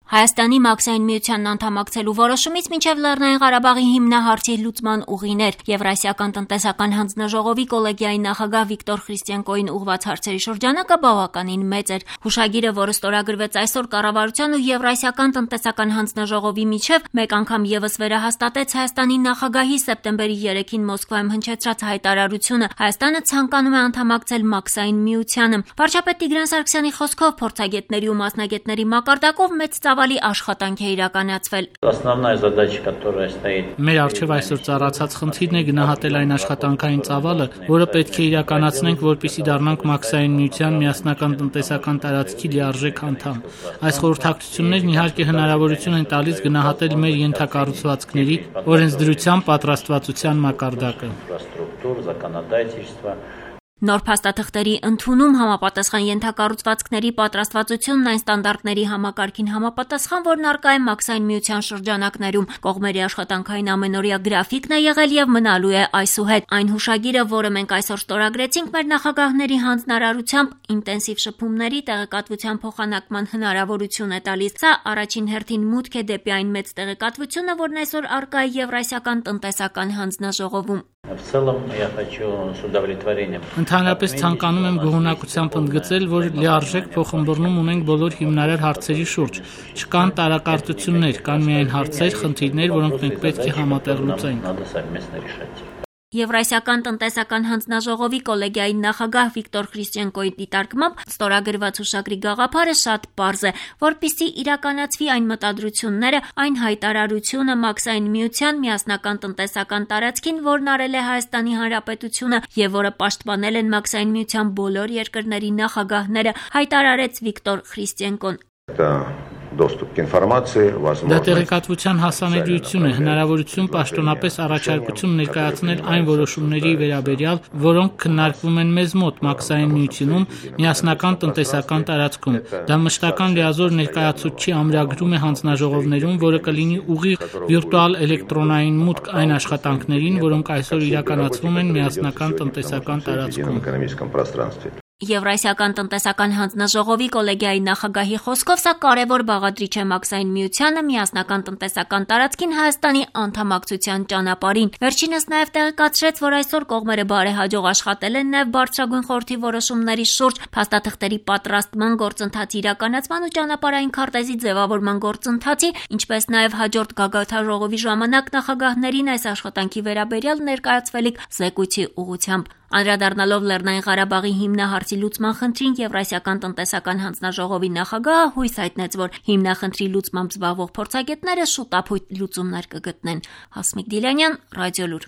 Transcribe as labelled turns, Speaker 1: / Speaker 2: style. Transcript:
Speaker 1: Հայաստանի Մաքսային միությանն անդամակցելու որոշումից մինչև Լեռնային Ղարաբաղի հիմնահարցի լուծման ուղիներ Եվրասիական տնտեսական հանձնաժողովի կոլեգիայի նախագահ Վիկտոր Խրիստիենկոին ուղղված հարցերի շրջանակը բավականին մեծ էր։ Հուշագիրը, որը ստորագրվեց այսօր կառավարության ու Եվրասիական տնտեսական հանձնաժողովի միջև, մեկ անգամ ևս վերահաստատեց Հայաստանի նախագահի սեպտեմբերի 3-ին Մոսկվայում հնչեցրած հայտարարությունը Հայաստանը ցանկանում է անդամակցել Մաքսային միությանը։ Վարչապետ Տիգրան Սարգսյանի խոսքով փորձագետների ու մասնագետների մակարդակով մեծ ծավալի աշխատանք է իրականացվել։
Speaker 2: Մեր առջև այսօր ծառացած խնդիրն է գնահատել այն աշխատանքային ծավալը, որը պետք է իրականացնենք, որպեսզի դառնանք Մաքսային միության միասնական տնտեսական տարածքի լիարժեք անդամ։ Այս խորհրդակցություններն իհարկե հնարավորություն են տալիս գնահատել մեր ենթակառուցվածքների օրենսդրության պատրաստվածության մակարդակը։
Speaker 1: Նոր փաստաթղթերի ընդունում համապատասխան ենթակառուցվածքների պատրաստվածությունն այն ստանդարտների համակարգին համապատասխան, որն առկա է Մաքսային միության շրջանակներում։ Կողմերի աշխատանքային ամենօրյա գրաֆիկն է եղել եւ մնալու է այսուհետ։ Այն հուշագիրը, որը մենք այսօր ստորագրեցինք մեր նախագահների հանձնարարությամբ, ինտենսիվ շփումների տեղեկատվության փոխանակման հնարավորություն է տալիս։ Սա առաջին հերթին մուտք է դեպի այն մեծ տեղեկատվությունը, որն այսօր առկա է Եվրասիական տնտեսական հանձնաժողովում։
Speaker 2: Ընդհանրապես ցանկանում եմ գոհունակությամբ ընդգծել, որ լիարժեք փոխըմբռնում ունենք բոլոր հիմնարար հարցերի շուրջ։ Չկան տարակարծություններ, կան միայն հարցեր, խնդիրներ, որոնք մենք պետք է համատեղ լուծենք։
Speaker 1: Եվրասիական տնտեսական հանձնաժողովի կոլեգիայի նախագահ Վիկտոր Խրիստիենկոյի դիտարկմամբ ստորագրված հուշագրի գաղափարը շատ պարզ է, որպեսզի իրականացվի այն մտադրությունները, այն հայտարարությունը Մաքսային միության միասնական տնտեսական տարածքին, որն արել է Հայաստանի Հանրապետությունը եւ որը պաշտպանել են Մաքսային միության բոլոր երկրների նախագահները, հայտարարեց Վիկտոր Խրիստիենկոն։
Speaker 2: Դա տեղեկատվության հասանելիություն է, հնարավորություն պաշտոնապես առաջարկություն ներկայացնել այն որոշումների վերաբերյալ, որոնք քննարկվում են մեզ մոտ Մաքսային միությունում միասնական տնտեսական տարածքում։ Դա մշտական լիազոր ներկայացուցչի ամրագրում է հանձնաժողովներում, որը կլինի ուղիղ վիրտուալ էլեկտրոնային մուտք այն աշխատանքներին, որոնք այսօր իրականացվում են միասնական տնտեսական տարածքում։
Speaker 1: Եվրասիական տնտեսական հանձնաժողովի կոլեգիայի նախագահի խոսքով սա կարևոր բաղադրիչ է Մաքսային միությանը միասնական տնտեսական տարածքին Հայաստանի անդամակցության ճանապարհին։ Վերջինս նաև տեղեկացրեց, որ այսօր կողմերը բարեհաջող աշխատել են նաև բարձրագույն խորհրդի որոշումների շուրջ, փաստաթղթերի պատրաստման գործընթացի իրականացման ու ճանապարհային քարտեզի ձևավորման գործընթացի, ինչպես նաև հաջորդ գագաթնաժողովի ժամանակ նախագահներին այս աշխատանքի վերաբերյալ ներկայացվելիք զեկույցի ուղղությամբ։ Անդրադառնալով Լեռնային Ղարաբաղի հիմնահարցի լուծման խնդրին, Եվրասիական տնտեսական հանձնաժողովի նախագահը հույս հայտնեց, որ հիմնախնդրի լուծմամբ զբաղվող փորձագետները շուտապույտ լուծումներ կգտնեն։ Հասմիկ Դիլյանյան, Ռադիոլուր։